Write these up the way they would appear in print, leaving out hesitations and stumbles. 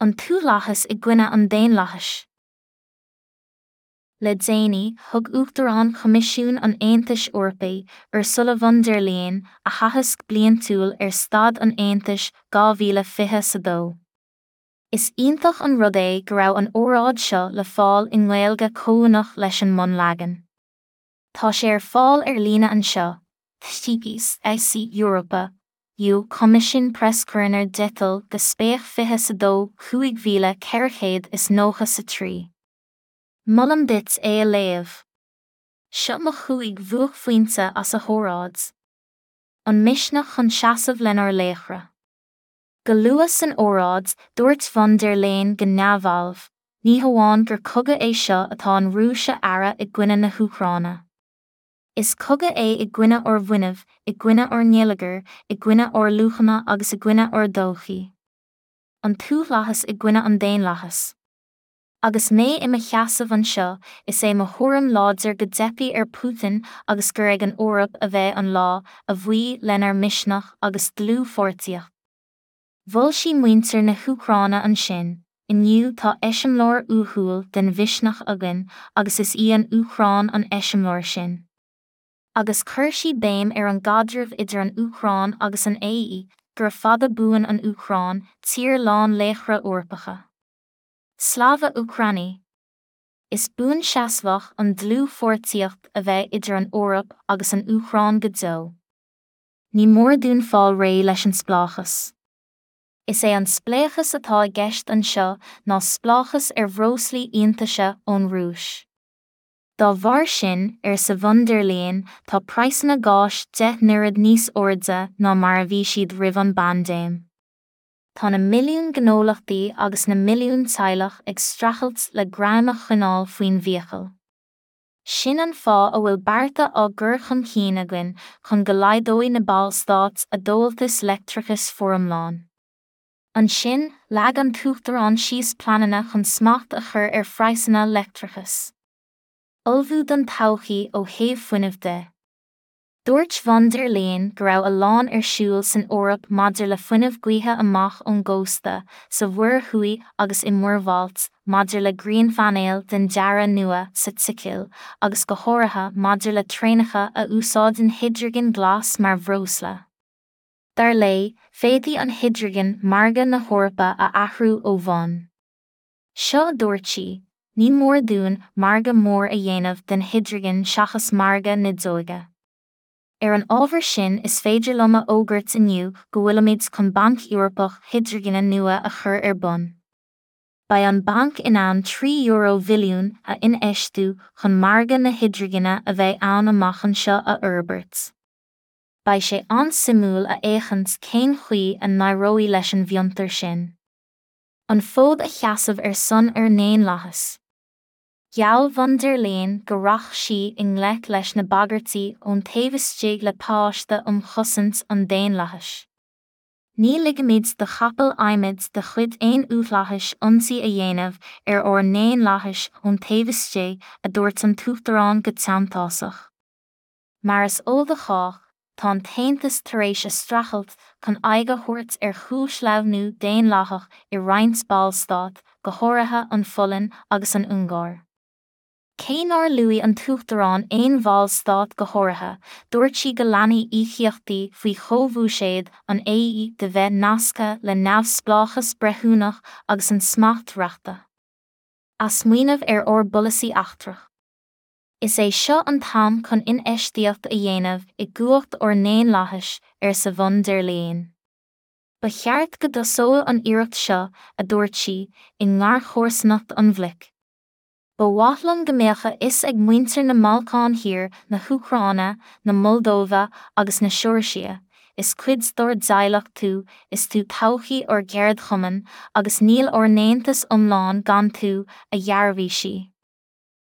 An t-uathlathas i gcoinne an daonlathais. Le déanaí, thug Uachtarán Choimisiún an Aontais Eorpaigh, Ursula von der Leyen, a haitheasc bliantúil ar Staid an Aontais 2022. Is iontach an rud é go raibh an óráid seo le fáil i nGaeilge comhuaineach leis an mbunleagan. Tá sé ar fáil ar líne anseo, https Europa, EU Commission Press Corner Detail Gespräch 22 5493. Molaim duit é a léamh. Seo mo chúig bhuaicphointe as a hóráid. An misneach chun seasamh lenár laochra. Go luath san óráid, dúirt von der Leyen go neamhbhalbh, ní hamháin gur cogadh é seo atá an Rúis a fhearadh i gcoinne na hÚcráine. Is cogadh é i gcoinne ár bhfuinnimh, i gcoinne ár ngeilleagair, i gcoinne ár luachanna agus i gcoinne ár dtodhchaí. An t-uathlathas i gcoinne an daonlathais. Agus mé i mo sheasamh anseo, is é mo thuairim láidir go dteipfidh ar Putin agus gur ag an Eoraip a bheidh an lá, a bhuí lenár misneach agus dlúthpháirtíocht. Mhol sí muintir na hÚcráine ansin, Inniu tá eiseamláir uathúil den mhisneach againn agus is í an Úcráin an eiseamláir sin. Agus chuir sí béim ar an gcaidreamh idir an Úcráin agus an AE, Gura fada buan an Úcráin, tír lán laochra Eorpacha. Slava Ukraini! Is buanseasmhach an dlúthpháirtíocht a bheidh idir an Eoraip agus an Úcráin go deo. Ní mór dúinn fáil réidh leis an spleáchas. Is é an spléachas atá i gceist anseo ná spleáchas ar bhreoslaí iontaise ón Rúis. Dá bharr sin, arsa von der Leyen, tá praghsanna gáis 10 n-oiread níos airde ná mar a bhí siad roimh an bpaindéim. Tá na milliúin gnólachtaí agus na milliúin teaghlach ag streachailt le greim a choinneáil faoin bhfiacail. Sin an fáth a bhfuil bearta á gcur chun cinn againn chun go laghdóidh na Ballstáit a dtomhaltas leictreachais foriomlán. Ansin, leag an tUachtarán síos pleananna chun smacht a chur ar phraghsanna leictreachais. Ullmhú don todhchaí ó thaobh fuinnimh de. Dúirt von der Leyen go raibh a lán ar siúl san Eoraip maidir le fuinneamh gaoithe amach ón gcósta, sa Mhuir Thuaidh agus i Muir Bhailt, maidir le grianphainéil den dearadh nua sa tSicil, agus go háirithe maidir le traenacha a úsáideann hidrigin ghlas mar bhreosla. Dar léi, féadfaidh an hidrigin margadh na hEorpa a athrú ó bhonn. Seo a dúirt sí, Ní mór dúinn margadh mór a dhéanamh den hidrigin seachas margadh nideoige. Ar an ábhar sin is féidir liom a fhógairt inniu go bhfuilimid chun Banc Eorpach Hidrigine nua a chur ar bun. Beidh an banc in ann €3 bhilliún a infheistiú chun margadh na hidrigine a bheidh ann amach anseo a fhorbairt. Beidh sé an-suimiúil a fhéachaint cén chaoi a n-éireoidh leis an bhfiontar sin. An fód a sheasamh ar son ár ndaonlathas. Gheall von der Leyen go rachadh sí i ngleic leis na bagairtí ón taobh istigh le pacáiste um chosaint an daonlathais. Ní ligfimid do chapall adhmaid de chuid aon uathlathais ionsaí a dhéanamh ar ár ndaonlathas ón taobh istigh, a dúirt an tUachtarán go teanntásach. Mar is eol do chách, tá an tAontas tar éis a streachailt chun aghaidh a thabhairt ar chúlsleamhnú daonlathach i roinnt ballstát, go háirithe an Pholainn agus an Ungáir. Cé nár luaigh an tUachtarán aon bhallstát go háirithe, dúirt sí go leanfaidh íocaíochtaí faoi chomhbhuiséad an AE de bheith nasctha le neamhspleáchas breithiúnach agus an smacht reachta. Athsmaoineamh ar ár bpolasaí eachtrach. Is é seo an t-am chun infheistíocht a dhéanamh i gcumhacht ár ndaonlathais, arsa von der Leyen. Ba cheart go dtosódh an iarracht seo, a dúirt sí, i ngarchomharsanacht an bhloic. Ba mhaith liom go mbeadh a fhios ag muintir na mBalcán Thiar, na hÚcráine, na Moldóive agus na Seoirsia, is cuid dár dteaghlach tú, is tú todhchaí ár gceardchumann, agus níl ár n-aontas iomlán gan tú, a dhearbhaigh sí.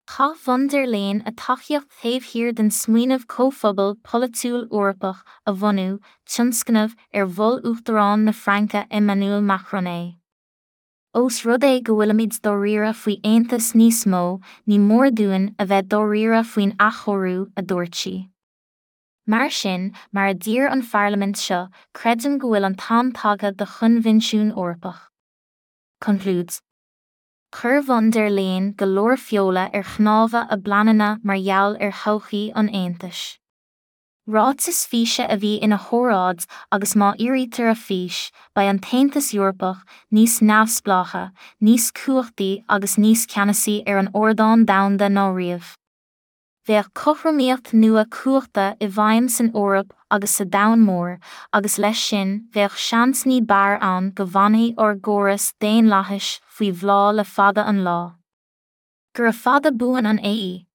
Chaith von der Leyen a tacaíocht taobh thiar den smaoineamh Comhphobal Polaitiúil Eorpach a bhunú, tionscnamh ar mhol Uachtarán na Fraince Emmanuel Macron é. Ós rud é go bhfuilimid dáiríre faoi aontas níos mó, ní mór dúinn a bheith dáiríre faoin athchóiriú, a dúirt sí. Mar sin, mar a d'iarr an Pharlaimint seo, creidim go bhfuil an t-am tagtha do Choinbhinsiún Eorpach. Conclúid. Chuir von der Leyen go leor feola ar chnámha a bpleananna mar gheall ar thodhchaí an Aontais. Ráiteas físe a bhí ina hóráid agus má fhíoraítear a fís, beidh an tAontas Eorpach níos neamhspleáiche, níos cumhachtaí agus níos ceannasaí ar an ardán domhanda ná riamh. Bheadh cothromaíocht nua cumhachta i bhfeidhm san Eoraip agus sa domhan mór, agus leis sin, bheadh seans ní b'fhearr ann go bhfanfaidh ár gcóras daonlathais faoi bhláth le fada an lá. Gura fada buan an AE.